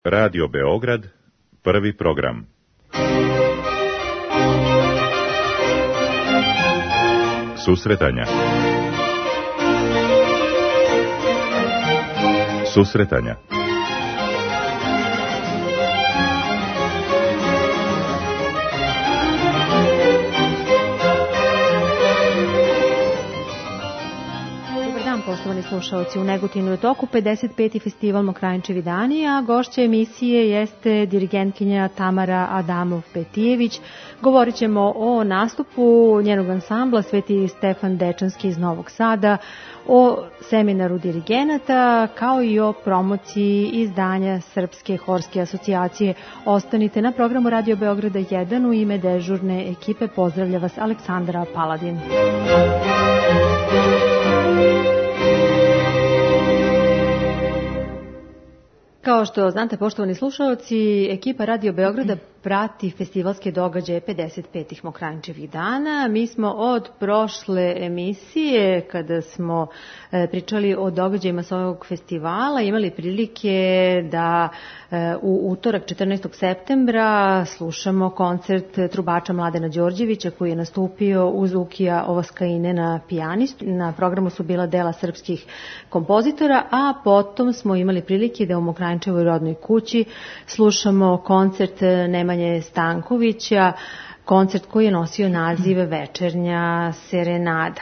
Radio Beograd, prvi program. Susretanja. Susretanja. Poštovani slušalci, u Negotinu je toku 55. festival Mokranjčevi dani, a gošća emisije jeste dirigentkinja Tamara Adamov-Petijević. Govorit ćemo o nastupu njenog ansambla Sveti Stefan Dečanski iz Novog Sada, o seminaru dirigenata, kao i o promociji izdanja Srpske horske asocijacije. Ostanite na programu Radio Beograda 1. U ime dežurne ekipe pozdravlja vas Aleksandra Paladin. Kao što znate, poštovani slušalci, ekipa Radio Beograda prati festivalske događaje 55. Mokranjčevih dana. Mi smo od prošle emisije, kada smo pričali o događajima sa ovog festivala, imali prilike da u utorak 14. septembra slušamo koncert trubača Mladena Đorđevića koji je nastupio uz Ukija Ovaskaine na pijanistu. Na programu su bila dela srpskih kompozitora, a potom smo imali prilike da u Mokranjčevoj rodnoj kući slušamo koncert Nemanje Stankovića, koncert koji je nosio naziv Večernja serenada.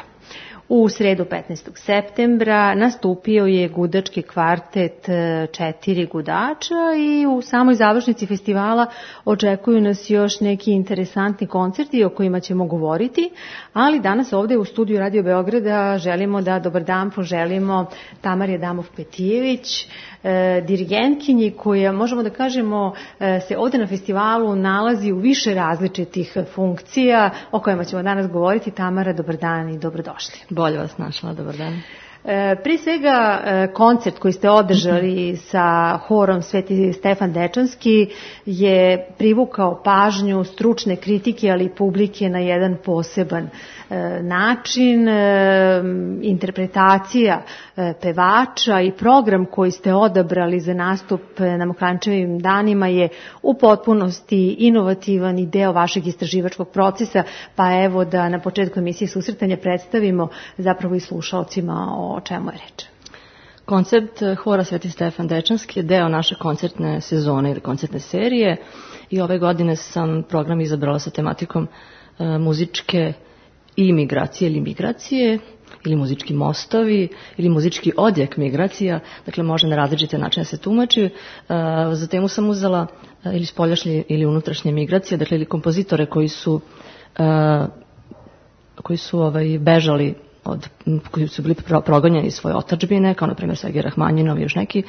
U sredu 15. septembra nastupio je gudački kvartet 4 gudača i u samoj završnici festivala očekuju nas još neki interesantni koncerti o kojima ćemo govoriti, ali danas ovde u studiju Radio Beograda želimo da dobar dan poželimo Tamari Adamov-Petijević, dirigentkinji koja, možemo da kažemo, se ovde na festivalu nalazi u više različitih funkcija o kojima ćemo danas govoriti. Tamara, dobar dan i dobrodošli. Bolje vas našla, dobar dan. Prije svega, koncert koji ste održali sa horom Sveti Stefan Dečanski je privukao pažnju stručne kritike, ali i publike na jedan poseban način. Interpretacija pevača i program koji ste odabrali za nastup na Mokranjčevim danima je u potpunosti inovativan i deo vašeg istraživačkog procesa, pa evo da na početku emisije Susretanja predstavimo zapravo i slušalcima o čemu je reč. Koncert hora Sveti Stefan Dečanski je deo naše koncertne sezone ili koncertne serije i ove godine sam program izabrala sa tematikom muzičke imigracije ili migracije, ili muzički mostovi, ili muzički odjek migracija, dakle može na različite načine se tumači. Za temu sam uzela ili spoljašnje ili unutrašnje migracije, dakle ili kompozitore koji su bežali koji su bili progonjeni iz svoje otadžbine, kao na primjer Sergej Rahmanjinov i još neki,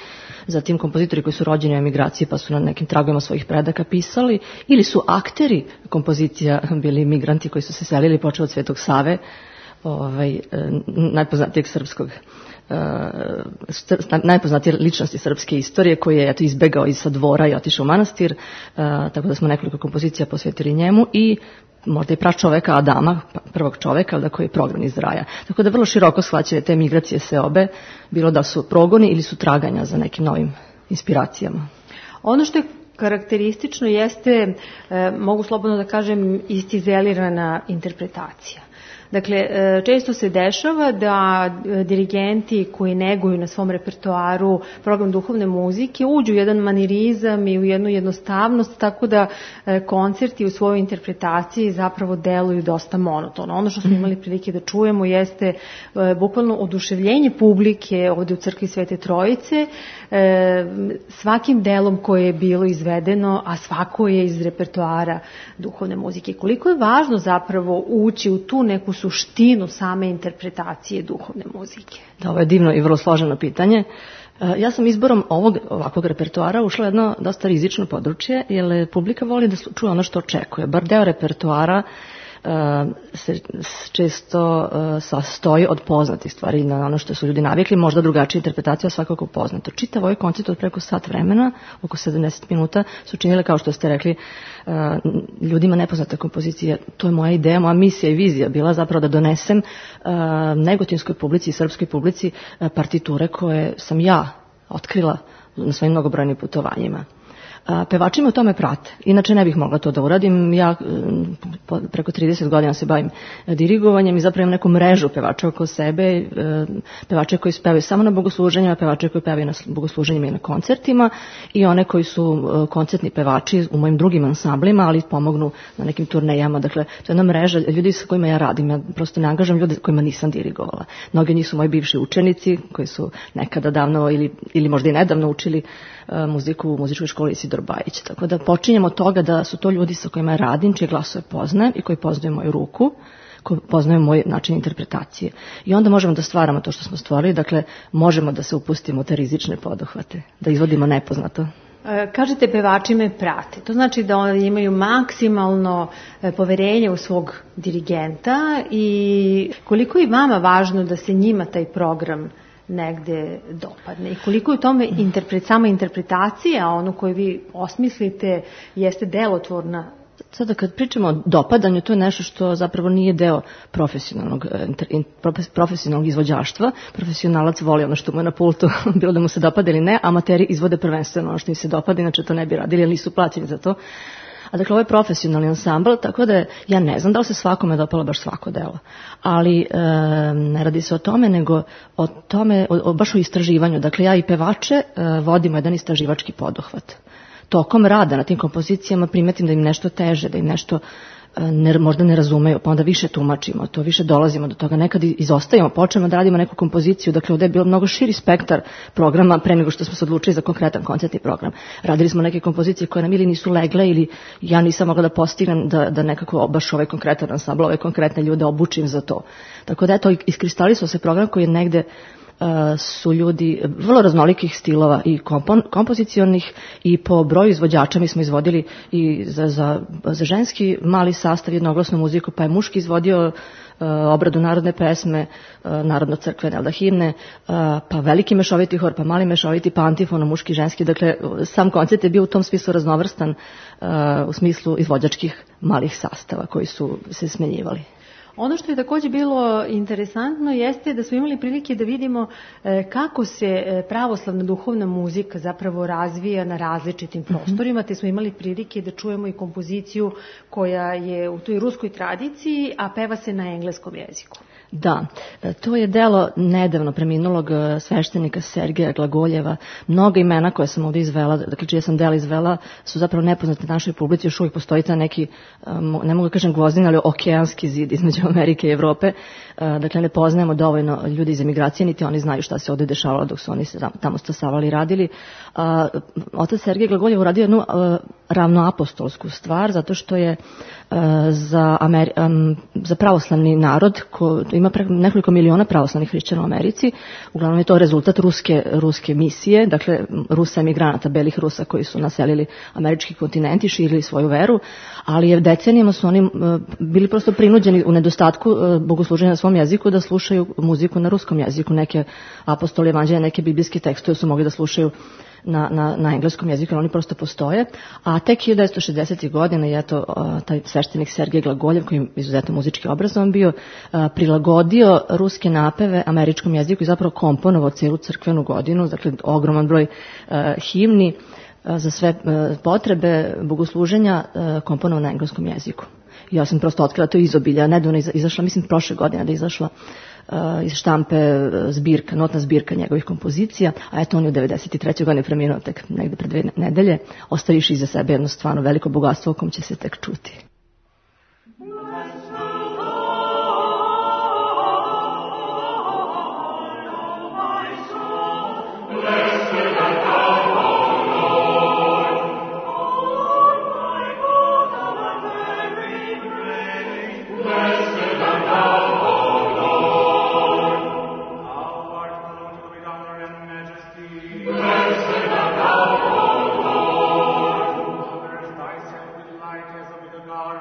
zatim kompozitori koji su rođeni u emigraciji pa su na nekim tragovima svojih predaka pisali, ili su akteri kompozicija bili migranti koji su se selili, počeo od Svetog Save, najpoznatijeg srpskog, najpoznatije ličnosti srpske istorije, koji je izbegao iz dvora i otišao u manastir, tako da smo nekoliko kompozicija posvetili njemu i možda i pračoveka Adama, prvog čoveka, koji je prognan iz raja. Tako da vrlo široko shvaćaju te migracije seobe, bilo da su progoni ili su traganja za nekim novim inspiracijama. Ono što je karakteristično jeste, mogu slobodno da kažem, istizelirana interpretacija. Dakle, često se dešava da dirigenti koji neguju na svom repertoaru program duhovne muzike uđu u jedan manirizam i u jednu jednostavnost, tako da koncerti u svojoj interpretaciji zapravo deluju dosta monotono. Ono što smo imali prilike da čujemo jeste bukvalno oduševljenje publike ovde u crkvi Svete Trojice svakim delom koje je bilo izvedeno, a svako je iz repertoara duhovne muzike. Koliko je važno zapravo ući u tu neku suštinu same interpretacije duhovne muzike? Da, ovo je divno i vrlo složeno pitanje. Ja sam izborom ovakvog repertoara ušla jedno dosta rizično područje, jer publika voli da čuje ono što očekuje. Bar deo repertoara se često sastoji od poznatih stvari na ono što su ljudi navikli, možda drugačija interpretacija, svakako poznato. Čitav ovaj koncert od preko sat vremena, oko 70 minuta, su činile, kao što ste rekli, ljudima nepoznate kompozicije. To je moja ideja, moja misija i vizija bila zapravo da donesem negotinskoj publici i srpskoj publici partiture koje sam ja otkrila na svojim mnogobrojnim putovanjima. Pevači me u tome prate. Inače ne bih mogla to da uradim. Ja preko 30 godina se bavim dirigovanjem i zapravo imam neku mrežu pevača oko sebe, pevače koji pevaju samo na bogosluženjima, pevače koji pevaju na bogosluženjima i na koncertima i one koji su koncertni pevači u mojim drugim ansamblima, ali pomognu na nekim turnejama. Dakle, to je jedna mreža ljudi sa kojima ja radim. Ja prosto ne angažam ljude kojima nisam dirigovala. Mnogi njih su moji bivši učenici koji su nekada davno ili možda i nedavno učili muziku u muzičkoj školi Isidor Bajić. Tako da počinjemo od toga da su to ljudi sa kojima radim, čije glasove poznajem i koji poznaju moju ruku, koji poznaju moj način interpretacije. I onda možemo da stvaramo to što smo stvorili, dakle možemo da se upustimo u te rizične poduhvate, da izvodimo nepoznato. Kažete pevači me prate. To znači da oni imaju maksimalno poverenje u svog dirigenta i koliko je vama važno da se njima taj program negde dopadne i koliko je u tome sama interpretacija, ono koju vi osmislite, jeste delotvorna. Sada kad pričamo o dopadanju, to je nešto što zapravo nije deo profesionalnog izvođaštva. Profesionalac voli ono što mu je na pultu, bilo da mu se dopada ili ne, amateri izvode prvenstveno ono što im se dopada, inače to ne bi radili, jer nisu plaćeni za to. A dakle, ovo je profesionalni ansambl, tako da ja ne znam da li se svakome dopalo baš svako delo. Ali ne radi se o tome, nego o tome, baš o istraživanju. Dakle, ja i pevače vodimo jedan istraživački poduhvat. Tokom rada na tim kompozicijama primetim da im nešto teže, da im nešto možda ne razumeju, pa onda više tumačimo to, više dolazimo do toga, nekad izostajemo, počnemo da radimo neku kompoziciju, dakle ovde je bilo mnogo širi spektar programa pre nego što smo se odlučili za konkretan koncertni program. Radili smo neke kompozicije koje nam ili nisu legle ili ja nisam mogla da postignem da nekako baš ovaj konkretan ansambl, ove konkretne ljude obučim za to. Tako da eto, iskristalisao se program koji je negde su ljudi vrlo raznolikih stilova i kompozicionih i po broju izvođača. Mi smo izvodili i za ženski mali sastav jednoglasnu muziku, pa je muški izvodio obradu narodne pesme, narodno-crkvene himne, pa veliki mešoviti hor, pa mali mešoviti, pa antifono, muški, ženski. Dakle, sam koncert je bio u tom smislu raznovrstan u smislu izvođačkih malih sastava koji su se smenjivali. Ono što je takođe bilo interesantno jeste da smo imali prilike da vidimo kako se pravoslavna duhovna muzika zapravo razvija na različitim prostorima, te smo imali prilike da čujemo i kompoziciju koja je u toj ruskoj tradiciji, a peva se na engleskom jeziku. Da, to je delo nedavno preminulog sveštenika Sergeja Glagoljeva. Mnoga imena koje sam ovdje izvela, dakle čije sam dela izvela, su zapravo nepoznate našoj publici, još uvijek postoji ta neki, ne mogu da kažem gvozdin, ali okeanski zid između Amerike i Evrope. Dakle, ne poznajemo dovoljno ljudi iz emigracije, niti oni znaju šta se ovdje dešavalo dok su oni tamo stasavali i radili. Otac Sergej Glagoljev uradio jednu ravnoapostolsku stvar, zato što je za pravoslavni narod, ima nekoliko miliona pravoslavnih hrišćana u Americi, uglavnom je to rezultat ruske misije, dakle Rusa emigranata, belih Rusa koji su naselili američki kontinent i širili svoju veru, ali je decenijama su oni bili prosto prinuđeni u nedostatku bogosluženja na svom jeziku da slušaju muziku na ruskom jeziku, neke apostoli evanđelja, neke biblijske tekstove su mogli da slušaju na engleskom jeziku, oni prosto postoje, a tek 1960. godina je to taj sveštenik Sergej Glagoljev, koji je izuzetno muzički obrazovan bio, prilagodio ruske napeve američkom jeziku i zapravo komponovao celu crkvenu godinu, dakle ogroman broj himni za sve potrebe bogosluženja komponovao na engleskom jeziku. Ja sam prosto otkrila to izobilja, nedavno izašla, mislim prošle godine da je izašla iz štampe zbirka, notna zbirka njegovih kompozicija, a eto on je u 93. godine preminuo tek negde pred 2 nedelje, ostaviši iza sebe jedno stvarno veliko bogatstvo o kom će se tek čuti. God.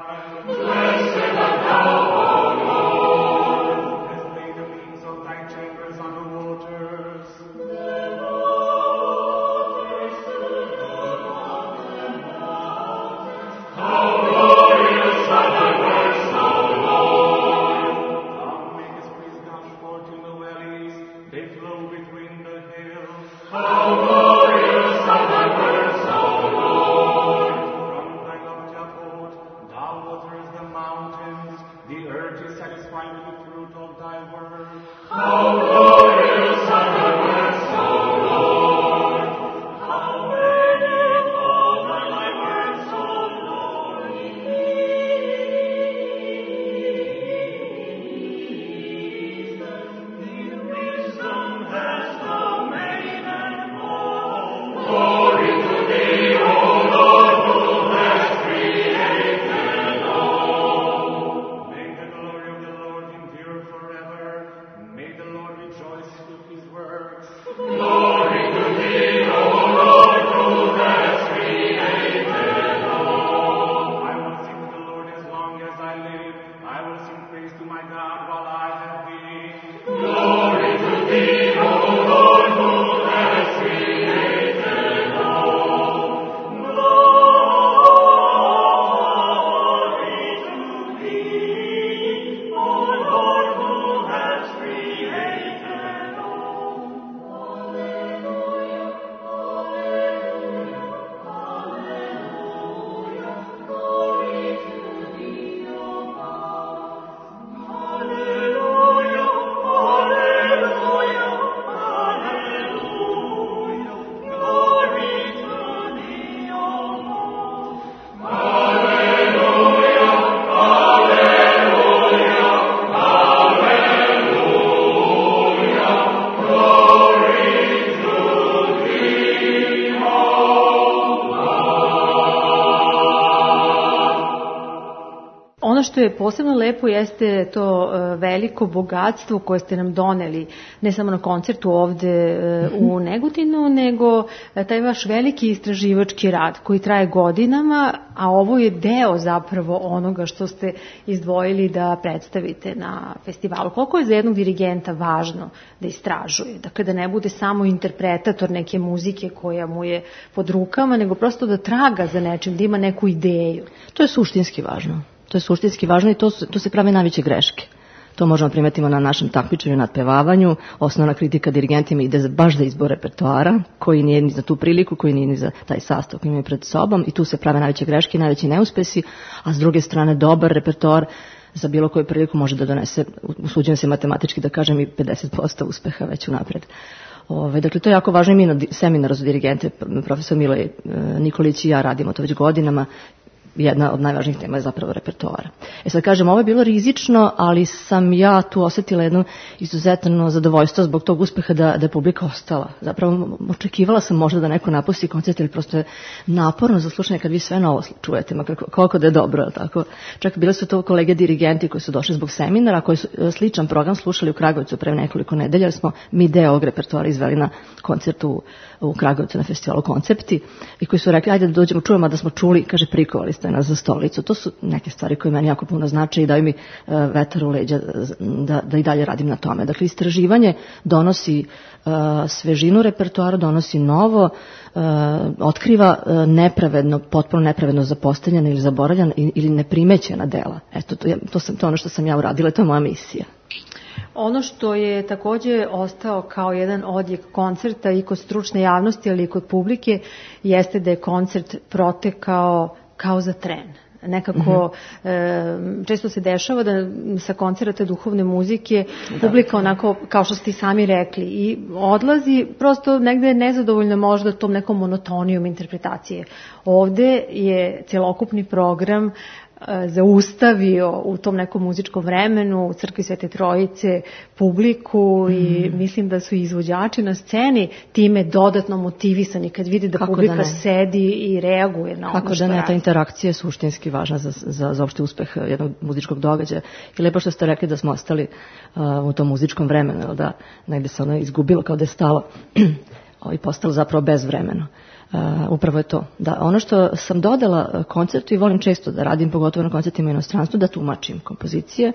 ono što je posebno lepo jeste to veliko bogatstvo koje ste nam doneli, ne samo na koncertu ovde u Negotinu, nego taj vaš veliki istraživački rad koji traje godinama, a ovo je deo zapravo onoga što ste izdvojili da predstavite na festivalu. Koliko je za jednog dirigenta važno da istražuje, dakle da ne bude samo interpretator neke muzike koja mu je pod rukama, nego prosto da traga za nečim, da ima neku ideju. To je suštinski važno. To je suštinski važno i to se prave najveće greške. To možemo primetimo na našem takmičenju, nadpevavanju. Osnovna kritika dirigentima ide baš za izbor repertoara, koji nije ni za tu priliku, koji nije ni za taj sastav koji imaju pred sobom, i tu se prave najveće greške i najveći neuspesi, a s druge strane dobar repertoar za bilo koju priliku može da donese, usuđujem se matematički da kažem, i 50% uspeha već unapred. Dakle, to je jako važno i mi na seminaru za dirigente, profesor Miloj Nikolić i ja radimo to već godinama. Jedna od najvažnijih tema je zapravo repertoara. Sad kažem, ovo je bilo rizično, ali sam ja tu osetila jedno izuzetno zadovoljstvo zbog tog uspeha da je publika ostala. Zapravo očekivala sam možda da neko napusti koncert, ili prosto je naporno za slušanje kad vi sve novo čujete, koliko da je dobro. Tako. Čak bile su to kolege dirigenti koji su došli zbog seminara, koji su sličan program slušali u Kragujevcu pre nekoliko nedelja, jer smo mi deo ovog repertoara izveli na koncertu u Kragujevcu na festivalu Koncepti, i koji su rekli, ajde da dođemo, čujemo da smo čuli, kaže, prikovali ste nas za stolicu. To su neke stvari koje meni jako puno znače i daju mi vetar u leđa da i dalje radim na tome. Dakle, istraživanje donosi svežinu repertoara, donosi novo, otkriva nepravedno, potpuno nepravedno zapostavljena ili zaboravljena ili neprimećena dela. Eto, to je ono što sam ja uradila, to je moja misija. Ono što je takođe ostao kao jedan odjek koncerta i kod stručne javnosti, ali i kod publike, jeste da je koncert protekao kao za tren. Nekako često se dešava da sa koncerata duhovne muzike publika onako, kao što ste i sami rekli, i odlazi prosto negde nezadovoljno možda tom nekom monotonijom interpretacije. Ovde je celokupni program zaustavio u tom nekom muzičkom vremenu u Crkvi Svete Trojice publiku i mislim da su izvođači na sceni time dodatno motivisani kad vide da publika sedi i reaguje na ono što radi. Ta interakcija je suštinski važna za opšte uspeh jednog muzičkog događaja. I lepo što ste rekli da smo ostali u tom muzičkom vremenu, da negde se ono izgubilo kao da je stalo i postalo zapravo bezvremeno. Upravo je to. Da, ono što sam dodala koncertu i volim često da radim, pogotovo na koncertima u inostranstvu, da tumačim kompozicije.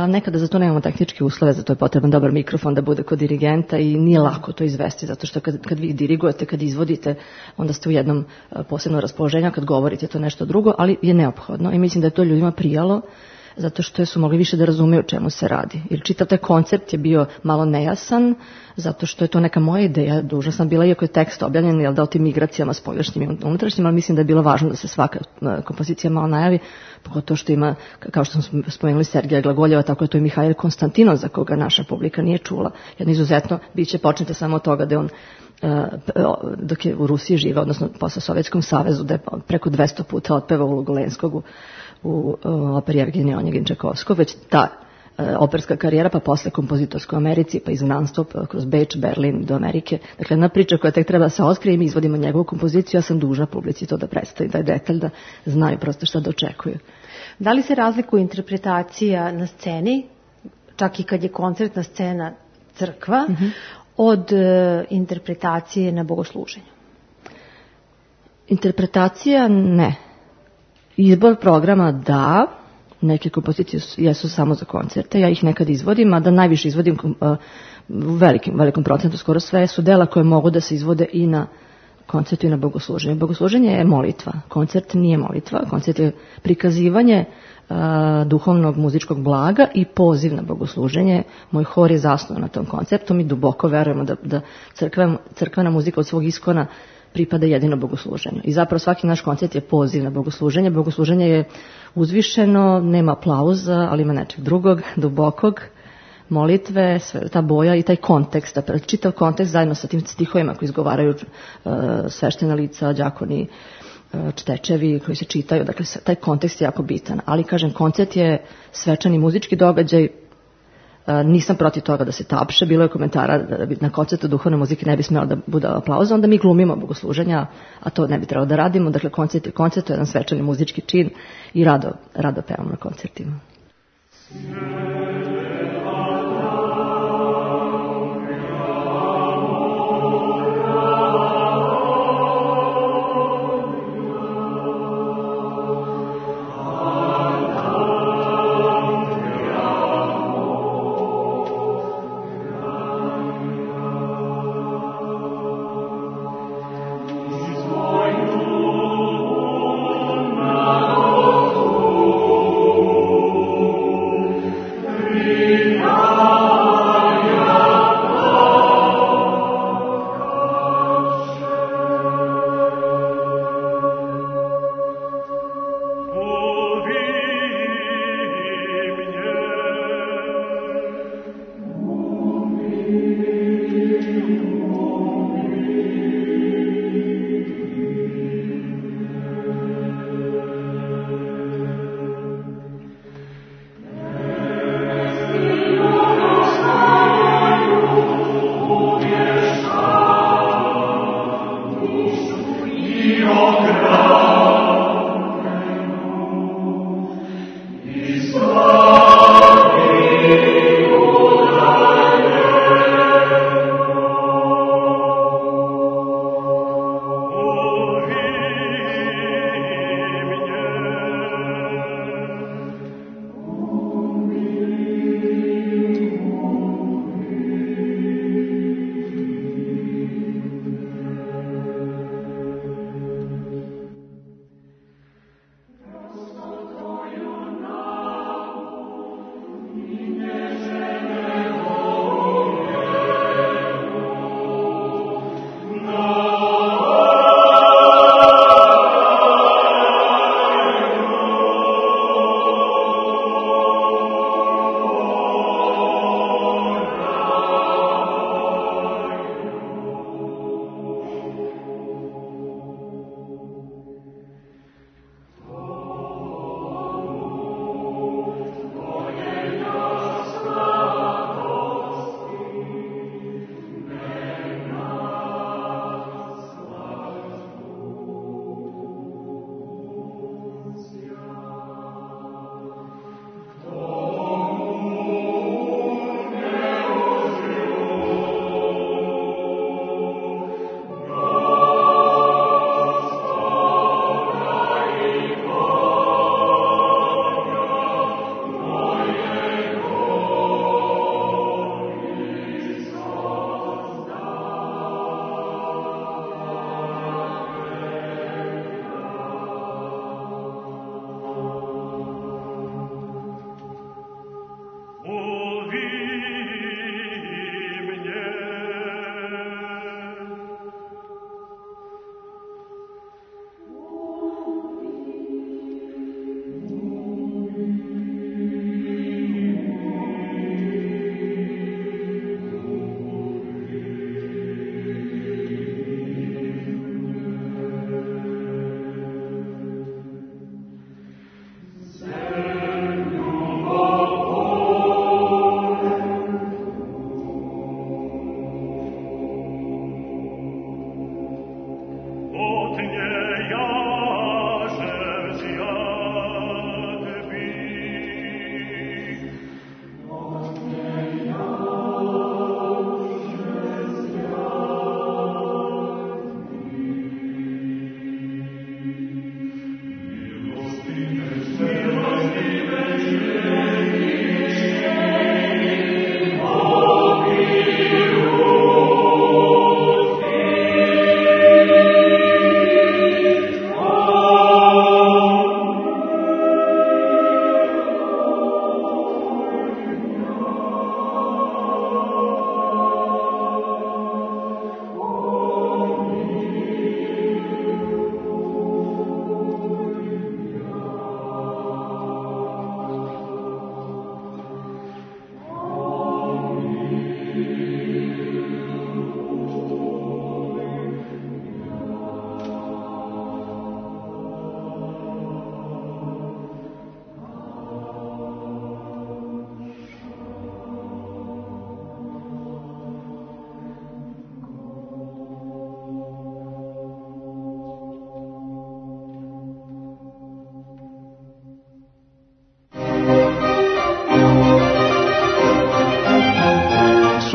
Nekada za to nemamo tehničke uslove, za to je potreban dobar mikrofon da bude kod dirigenta i nije lako to izvesti, zato što kad vi dirigujete, kad izvodite, onda ste u jednom posebnom raspoloženju, kad govorite to nešto drugo, ali je neophodno i mislim da je to ljudima prijalo, zato što su mogli više da razumeju o čemu se radi. Jer čitav taj koncept je bio malo nejasan, zato što je to neka moja ideja, dužna sam bila, iako je tekst objavljen, jel da, o tim migracijama spoljašnjim i unutrašnjim, ali mislim da je bilo važno da se svaka kompozicija malo najavi, pogotovo što ima, kao što smo spomenuli, Sergeja Glagoljeva, tako je to i Mihajl Konstantinov, za koga naša publika nije čula. Jedno izuzetno biće počnete samo od toga da je on dok je u Rusiji živa, odnosno posle Sovjetskom savezu, da je preko 200 puta otpevao ulogu Lenskog u operi Evgenija Onjegin Čajkovskog, već ta operska karijera, pa posle kompozitorska u Americi, pa izgnanstvo kroz Beč, Berlin do Amerike. Dakle, jedna priča koja tek treba da se otkrije i mi izvodimo njegovu kompoziciju, ja sam dužna publici to da predstavim, da je detalj, da znaju prosto šta da očekuju. Da li se razlikuje interpretacija na sceni, čak i kad je koncertna scena crkva, od interpretacije na bogosluženju? Interpretacija ne. Izbor programa da, neke kompozicije jesu samo za koncerte, ja ih nekad izvodim, a da najviše izvodim u velikom procentu, skoro sve su dela koje mogu da se izvode i na koncertu i na bogosluženju. Bogosluženje je molitva, koncert nije molitva, koncert je prikazivanje duhovnog muzičkog blaga i poziv na bogosluženje. Moj hor je zasnovan na tom konceptu, mi duboko verujemo da crkvena muzika od svog iskona pripada jedino bogosluženju. I zapravo svaki naš koncert je poziv na bogosluženje. Bogosluženje je uzvišeno, nema aplauza, ali ima nečeg drugog, dubokog, molitve, ta boja i taj kontekst, čitav kontekst zajedno sa tim stihovima koji izgovaraju sveštena lica, đakoni, čtečevi koji se čitaju. Dakle, taj kontekst je jako bitan. Ali, kažem, koncert je svečani muzički događaj Nisam protiv toga da se tapše, bilo je komentara da na koncertu duhovne muzike ne bi smjela da bude aplauza, onda mi glumimo bogosluženja, a to ne bi trebalo da radimo, dakle koncert je koncert, to je jedan svečani muzički čin i rado pevamo na koncertima.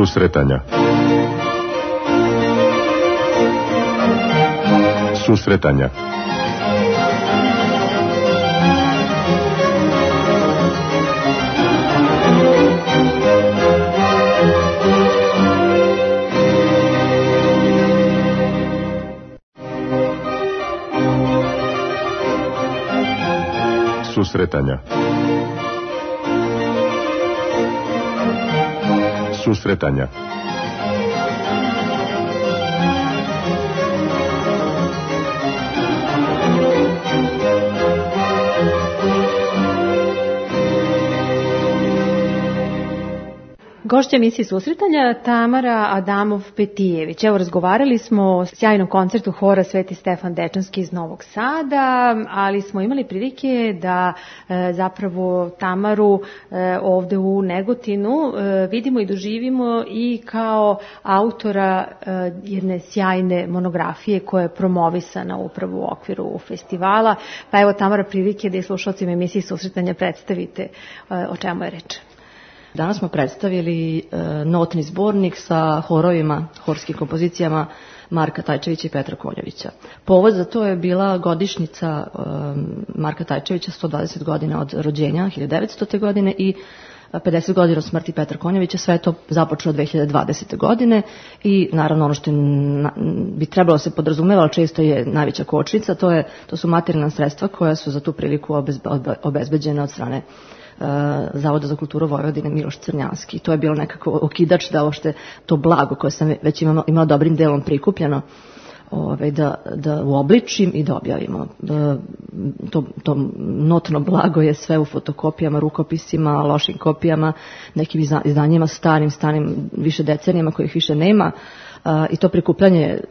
Susretanja. Susretanja. Susretanja. Susretanja. Gošća emisije Susretanja Tamara Adamov-Petijević. Evo, razgovarali smo o sjajnom koncertu hora Sveti Stefan Dečanski iz Novog Sada, ali smo imali prilike da zapravo Tamaru ovde u Negotinu vidimo i doživimo i kao autora jedne sjajne monografije koja je promovisana upravo u okviru festivala. Pa evo, Tamara, prilike da i slušalcima emisije Susretanja predstavite o čemu je reč. Danas smo predstavili notni zbornik sa horovima, horskim kompozicijama Marka Tajčevića i Petra Konjovića. Povod za to je bila godišnjica Marka Tajčevića, 120 godina od rođenja, 1900. godine, i 50 godina od smrti Petra Konjovića. Sve je to započelo 2020. godine i naravno ono što bi trebalo se podrazumeva, ali često je najveća kočnica, to su materijalna sredstva koja su za tu priliku obezbeđena od strane Zavoda za kulturu Vojvodine Miloš Crnjanski. To je bilo nekako okidač da uopšte to blago koje sam već imala dobrim delom prikupljeno da uobličim i da objavimo. To notno blago je sve u fotokopijama, rukopisima, lošim kopijama, nekim izdanjima starim više decenijama kojih više nema. I to prikupljanje je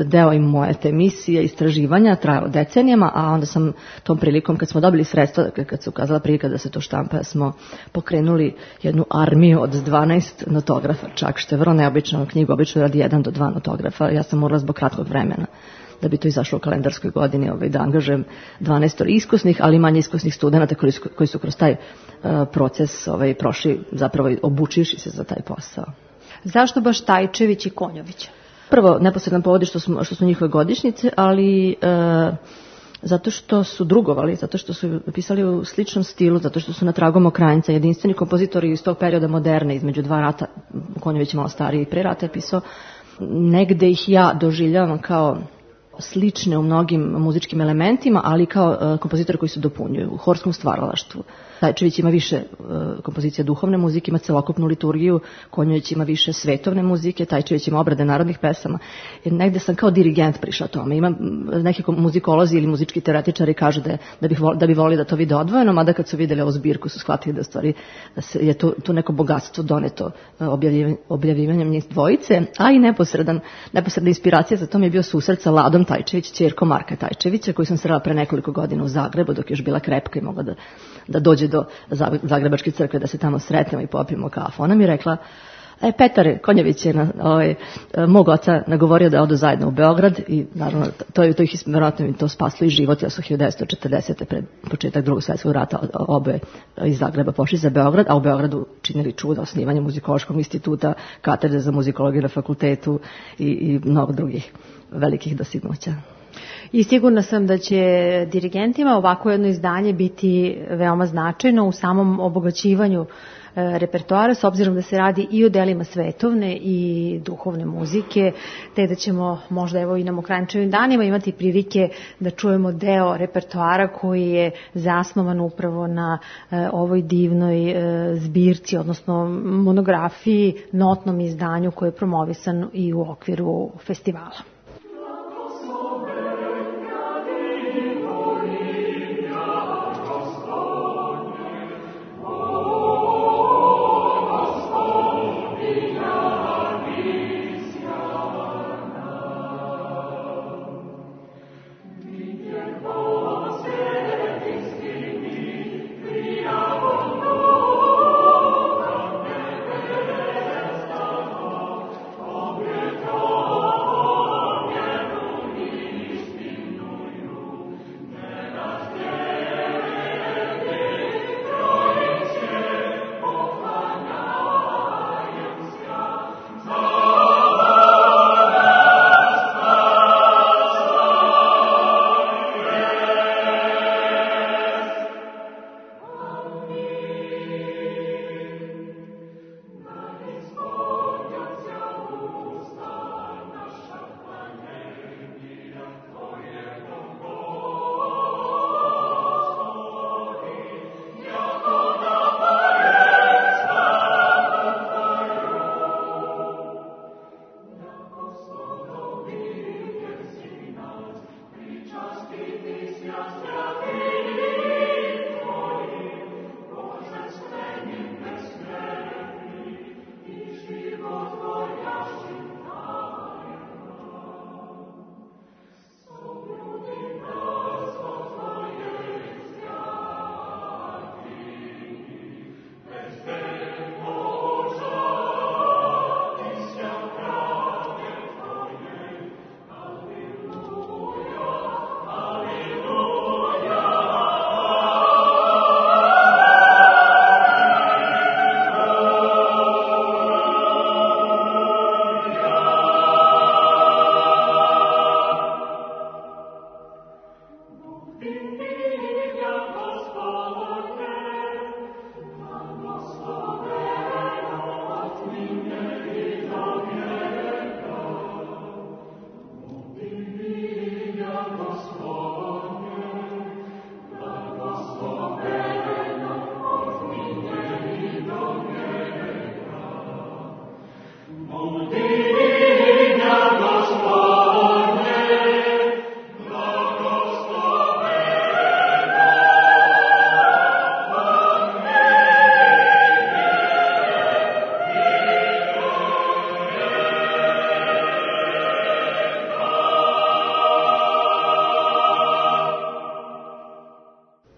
deo i moje te misije, istraživanja, trajalo decenijama, a onda sam tom prilikom, kad smo dobili sredstva, kad se ukazala prilika da se to štampa, smo pokrenuli jednu armiju od 12 notografa, čak što je vrlo neobično, knjigu obično radi 1 do 2 notografa. Ja sam morala zbog kratkog vremena da bi to izašlo u kalendarskoj godini, da angažujem 12 iskusnih, ali manje iskusnih studenta koji su kroz taj proces prošli, zapravo obučivši se za taj posao. Zašto baš Tajčević i Konjović? Prvo, neposredan povod što su njihove godišnjice, ali zato što su drugovali, zato što su pisali u sličnom stilu, zato što su na tragu Mokranjca, jedinstveni kompozitori iz tog perioda moderne, između 2 rata. Konjović je malo stariji, pre rata je pisao. Negde ih ja doživljavam kao slične u mnogim muzičkim elementima, ali kao kompozitori koji se dopunjuju u horskom stvaralaštvu. Tajčević ima više kompozicija duhovne muzike, ima celokupnu liturgiju, Konjović ima više svetovne muzike, Tajčević ima obrade narodnih pesama. Negde sam kao dirigent prišla tome. Ima neki muzikolozi ili muzički teoretičari kažu da bi volili da to vide odvojeno, mada kad su videli ovu zbirku su shvatili da stvari je tu neko bogatstvo doneto objavljivanjem njih dvojice, a i neposredna inspiracija za to mi je bio susret sa Ladom Tajčević, ćerkom Marka Tajčevića, koju sam srela pre nekoliko godina u Zagrebu, dok je još bila krepka i mogla da dođe do Zagrebačke crkve, da se tamo sretnemo i popijemo kafu. Ona mi je rekla, Petar Konjović je mog oca nagovorio da odu zajedno u Beograd i naravno to ih vjerojatno mi to spaslo i život, jer su 1940. pred početak Drugog svjetskog rata oboje iz Zagreba pošli za Beograd, a u Beogradu činili čuda, osnivanje muzikološkog instituta, katedre za muzikologiju na fakultetu i mnogo drugih velikih dostignuća. I sigurna sam da će dirigentima ovako jedno izdanje biti veoma značajno u samom obogaćivanju repertoara, s obzirom da se radi i o delima svetovne i duhovne muzike, te da ćemo možda evo i na Mokranjčevim danima imati prilike da čujemo deo repertoara koji je zasnovan upravo na ovoj divnoj zbirci, odnosno monografiji, notnom izdanju koje je promovisan i u okviru festivala.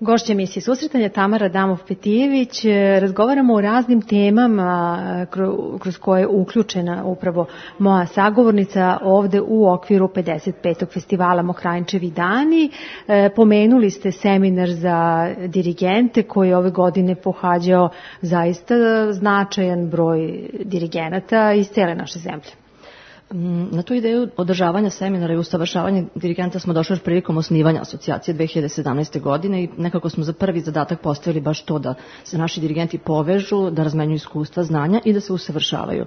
Gošća emisije Susretanja Tamara Damov-Petijević. Razgovaramo o raznim temama kroz koje je uključena upravo moja sagovornica ovde u okviru 55. festivala Mokranjčevi dani. Pomenuli ste seminar za dirigente koji je ove godine pohađao zaista značajan broj dirigenata iz cele naše zemlje. Na tu ideju održavanja seminara i usavršavanja dirigenta smo došli još prilikom osnivanja asocijacije 2017. godine i nekako smo za prvi zadatak postavili baš to da se naši dirigenti povežu, da razmenjuju iskustva, znanja i da se usavršavaju.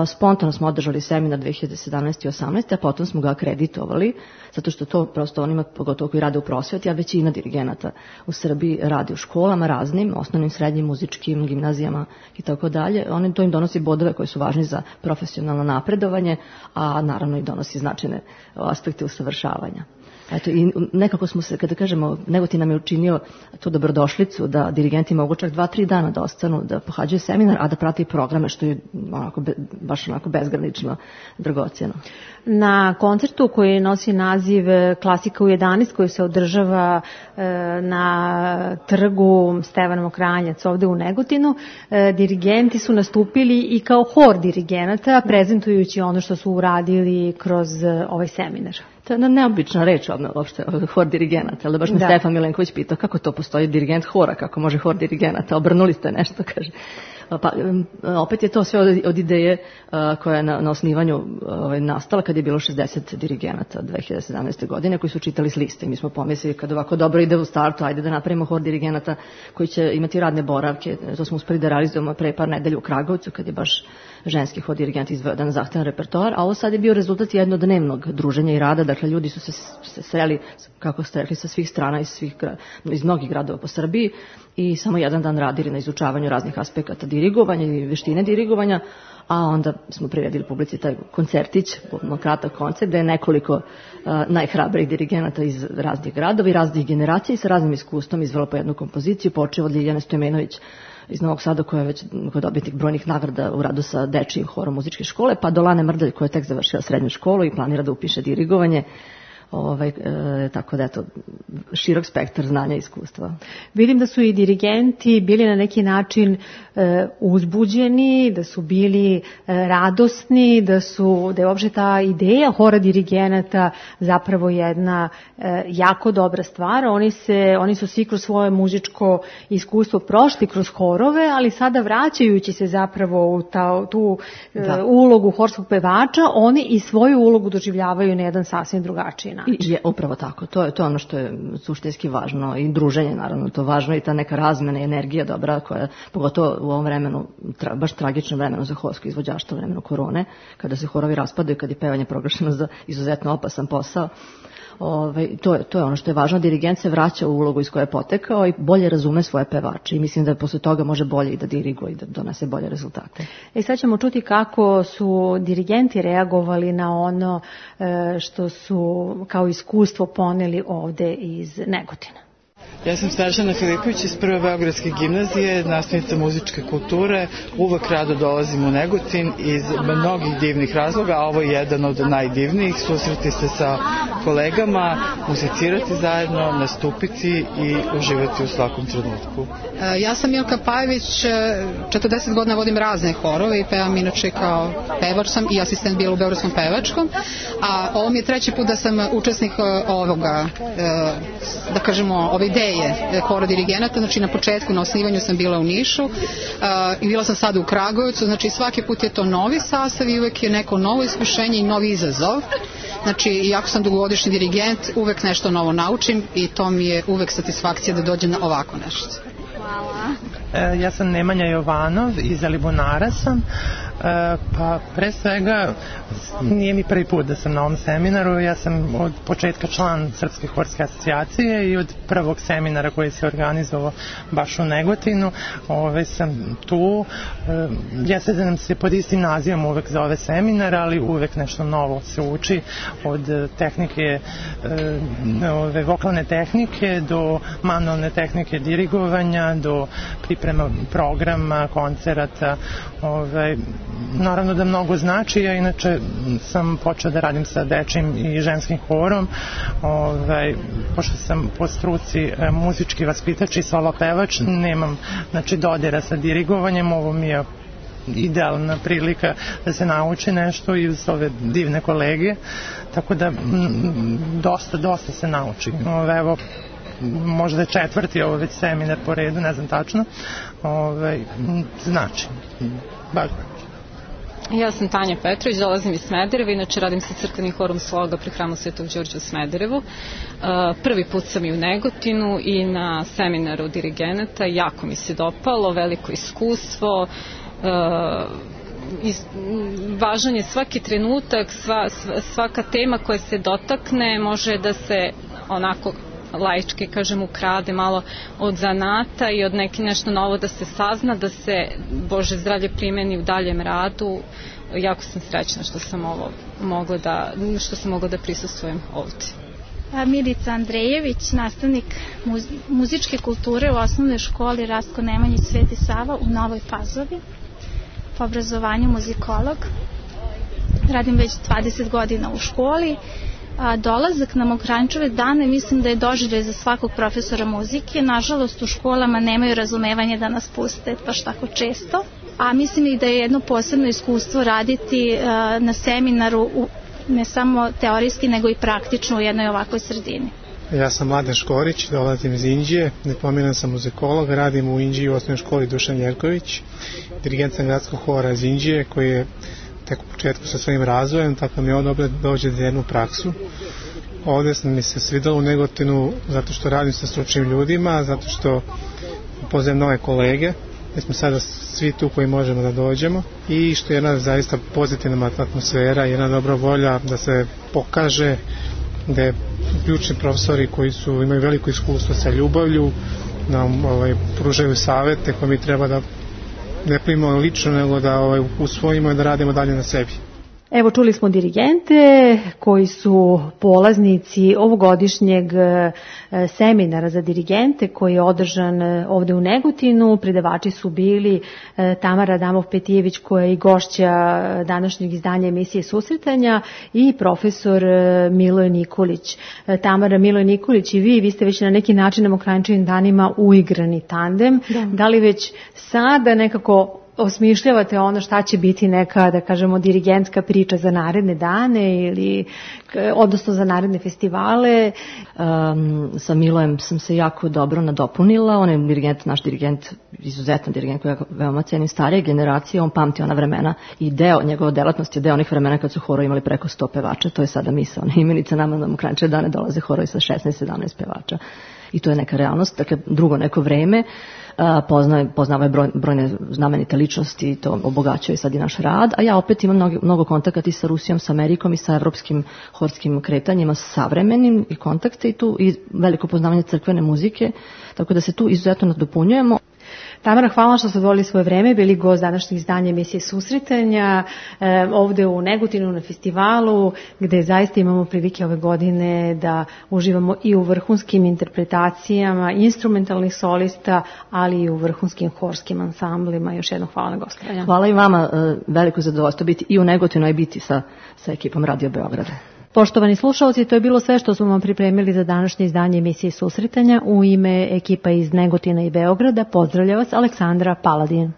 Spontano smo održali seminar 2017. i 2018. a potom smo ga akreditovali, zato što to prosto onima, pogotovo koji rade u prosveti, a većina dirigenata u Srbiji radi u školama raznim, osnovnim, srednjim, muzičkim, gimnazijama i tako dalje. To im donosi bodove koji su važni za profesionalno napredovanje, a naravno i donosi značajne aspekte usavršavanja. Eto, i nekako smo se, kada kažemo, Negotin nam je učinio tu dobrodošlicu da dirigenti mogu čak 2-3 dana da ostanu, da pohađaju seminar, a da prate i programe, što je baš onako bezgranično dragocjeno. Na koncertu koji nosi naziv Klasika u 11, koji se održava na trgu Stevana Mokranjac ovde u Negotinu, dirigenti su nastupili i kao hor dirigenata, prezentujući ono što su uradili kroz ovaj seminar. To je jedna neobična reč, uopšte, hor dirigenata, ali baš me Stefan Milenković pitao kako to postoji dirigent hora, kako može hor dirigenata, obrnuli ste nešto, kaže. Pa, opet je to sve od ideje koja je na osnivanju nastala kad je bilo 60 dirigenata od 2017. godine koji su čitali s liste. Mi smo pomislili kad ovako dobro ide u startu, ajde da napravimo hor dirigenata koji će imati radne boravke. To smo uspeli da realizujemo pre par nedelja u Kragovcu kad je baš ženski hor dirigent izveo jedan zahtevan repertoar, a ovo sad je bio rezultat jednodnevnog druženja i rada. Dakle, ljudi su se sreli, kako ste rekli, sa svih strana iz mnogih gradova po Srbiji i samo jedan dan radili na izučavanju raznih aspekata dirigovanja i veštine dirigovanja, a onda smo priredili publici taj koncertić, kratak koncert, gde je nekoliko najhrabrijih dirigenata iz raznih gradova i raznih generacija i sa raznim iskustvom izvelo po jednu kompoziciju, počeo od Ljiljane Stojmenović iz Novog Sada, koja je već dobitnik brojnih nagrada u radu sa dečijim horom muzičke škole, pa do Lane Mrdalj, koja je tek završila srednju školu i planira da upiše dirigovanje. Tako da je to širok spektar znanja i iskustva. Vidim da su i dirigenti bili na neki način uzbuđeni, da su bili radosni, da je uopšte ta ideja hora dirigenata zapravo jedna jako dobra stvar. Oni su svi kroz svoje muzičko iskustvo prošli kroz horove, ali sada vraćajući se zapravo u tu ulogu horskog pevača, oni i svoju ulogu doživljavaju na jedan sasvim drugačiji način. Je upravo tako, to je ono što je suštinski važno i druženje naravno to važno i ta neka razmena i energija dobra koja pogotovo u ovom vremenu, baš tragičnom vremenu za horsko izvođaštvo, vremenu korone, kada se horovi raspadaju, kada je pevanje proglašeno za izuzetno opasan posao. To je ono što je važno. Dirigent se vraća u ulogu iz koje je potekao i bolje razume svoje pevače i mislim da posle toga može bolje i da diriguje i da donese bolje rezultate. Sad ćemo čuti kako su dirigenti reagovali na ono što su kao iskustvo poneli ovde iz Negotina. Ja sam Snežana Filipović iz Prve Beogradske gimnazije, nastavnica muzičke kulture. Uvek rado dolazim u Negotin iz mnogih divnih razloga, a ovo je jedan od najdivnijih. Susreti se sa kolegama, muzicirati zajedno, nastupiti i uživati u svakom trenutku. Ja sam Milka Pajević, 40 godina vodim razne horove i pevam inače kao pevač sam i asistent bila u Beogradskom pevačkom, a ovo mi je treći put da sam učesnik ovoga, da kažemo, ove ideje hora dirigenata. Znači na početku, na osnivanju sam bila u Nišu i bila sam sada u Kragujevcu, znači svaki put je to novi sastav i uvek je neko novo iskušenje i novi izazov. Znači, iako sam dugogodišnji dirigent, uvek nešto novo naučim i to mi je uvek satisfakcija da dođem na ovako nešto. Hvala. Ja sam Nemanja Jovanov, iz Alibunara sam. Pa pre svega nije mi prvi put da sam na ovom seminaru. Ja sam od početka član Srpske horske asocijacije i od prvog seminara koji se organizovao baš u Negotinu sam tu. Jeste da nam se pod istim nazivom uvek zove seminar, ali uvek nešto novo se uči, od tehnike, vokalne tehnike do manualne tehnike dirigovanja, do priprema programa, koncerata. Naravno da mnogo znači, ja inače sam počeo da radim sa dečim i ženskim horom, pošto sam po struci muzički vaspitač i solo pevač, nemam dodira sa dirigovanjem, ovo mi je idealna prilika da se nauči nešto i uz ove divne kolege, tako da dosta se nauči. Evo, možda je četvrti ovo već seminar po redu, ne znam tačno, znači, baš znači. Ja sam Tanja Petrović, dolazim iz Smedereva, inače radim sa crkvenim horom Sloga pri hramu Svetog Đorđa u Smederevu. Prvi put sam i u Negotinu i na seminaru dirigenata, jako mi se dopalo, veliko iskustvo, važan je svaki trenutak, svaka tema koja se dotakne može da se onako laički, kažem, ukrade malo od zanata i od nešto novo da se sazna, da se, Bože zdravlje, primeni u daljem radu. Jako sam srećna što sam mogla da prisustvujem ovdje. Milica Andrejević, nastavnik muzičke kulture u osnovnoj školi Rastko Nemanjić Sveti Sava u Novoj Pazovi, po obrazovanju muzikolog. Radim već 20 godina u školi. Dolazak na Mokranjčeve dane mislim da je doživljaj za svakog profesora muzike. Nažalost, u školama nemaju razumevanje da nas puste baš tako često, a mislim i da je jedno posebno iskustvo raditi na seminaru, ne samo teorijski nego i praktično u jednoj ovakvoj sredini. Ja sam Mladen Škorić, dolazim iz Inđije, diplomiran sam muzikolog, radim u Inđiji u osnovnoj školi Dušan Jerković, dirigent sam gradskog hora iz Inđije koji je tek u početku sa svojim razvojem, tako mi je ovo dobro da dođe za jednu praksu. Ovdje mi se svidalo u Negotinu zato što radim sa stručnim ljudima, zato što poznajem nove kolege, mi smo sada svi tu koji možemo da dođemo i što je jedna zaista pozitivna atmosfera, jedna dobra volja da se pokaže da je ključni profesori koji imaju veliko iskustvo sa ljubavlju nam pružaju savete koje mi treba da ne primimo lično, nego da usvojimo i da radimo dalje na sebi. Evo, čuli smo dirigente koji su polaznici ovogodišnjeg seminara za dirigente koji je održan ovde u Negotinu. Predavači su bili Tamara Adamov-Petijević koja je i gošća današnjeg izdanja emisije Susretanja i profesor Miloje Nikolić. Tamara, Miloje Nikolić i vi ste već na neki način na Mokranjčevim danima uigrani tandem. Da li već sada nekako osmišljavate ono šta će biti neka, da kažemo, dirigentska priča za naredne dane ili odnosno za naredne festivale? Sa Milojem sam se jako dobro nadopunila. On je dirigent, naš dirigent, izuzetan dirigent koji ja veoma cenim, starije generacije. On pamti ona vremena i njegova delatnost je deo onih vremena kad su horovi imali preko 100 pevača. To je sada misaona imenica. Nama na Mokranjčeve dane dolaze horovi sa 16-17 pevača. i to je neka realnost, dakle drugo neko vreme, poznava je brojne znamenite ličnosti i to obogaćuje sad i naš rad, a ja opet imam mnogo kontakata i sa Rusijom, sa Amerikom i sa evropskim horskim kretanjima, savremenim i kontakte i tu i veliko poznavanje crkvene muzike, tako da se tu izuzetno nadopunjujemo. Tamara, hvala što ste odvojili svoje vreme, bili gost današnjeg izdanja emisije Susretanja ovde u Negotinu na festivalu, gde zaista imamo prilike ove godine da uživamo i u vrhunskim interpretacijama instrumentalnih solista, ali i u vrhunskim horskim ansamblima. Još jednom hvala na gostovanju. Hvala i vama, veliko zadovoljstvo biti i u Negotinu i biti sa ekipom Radio Beograda. Poštovani slušalci, to je bilo sve što smo vam pripremili za današnje izdanje emisije Susretanja. U ime ekipa iz Negotina i Beograda pozdravlja vas Aleksandra Paladin.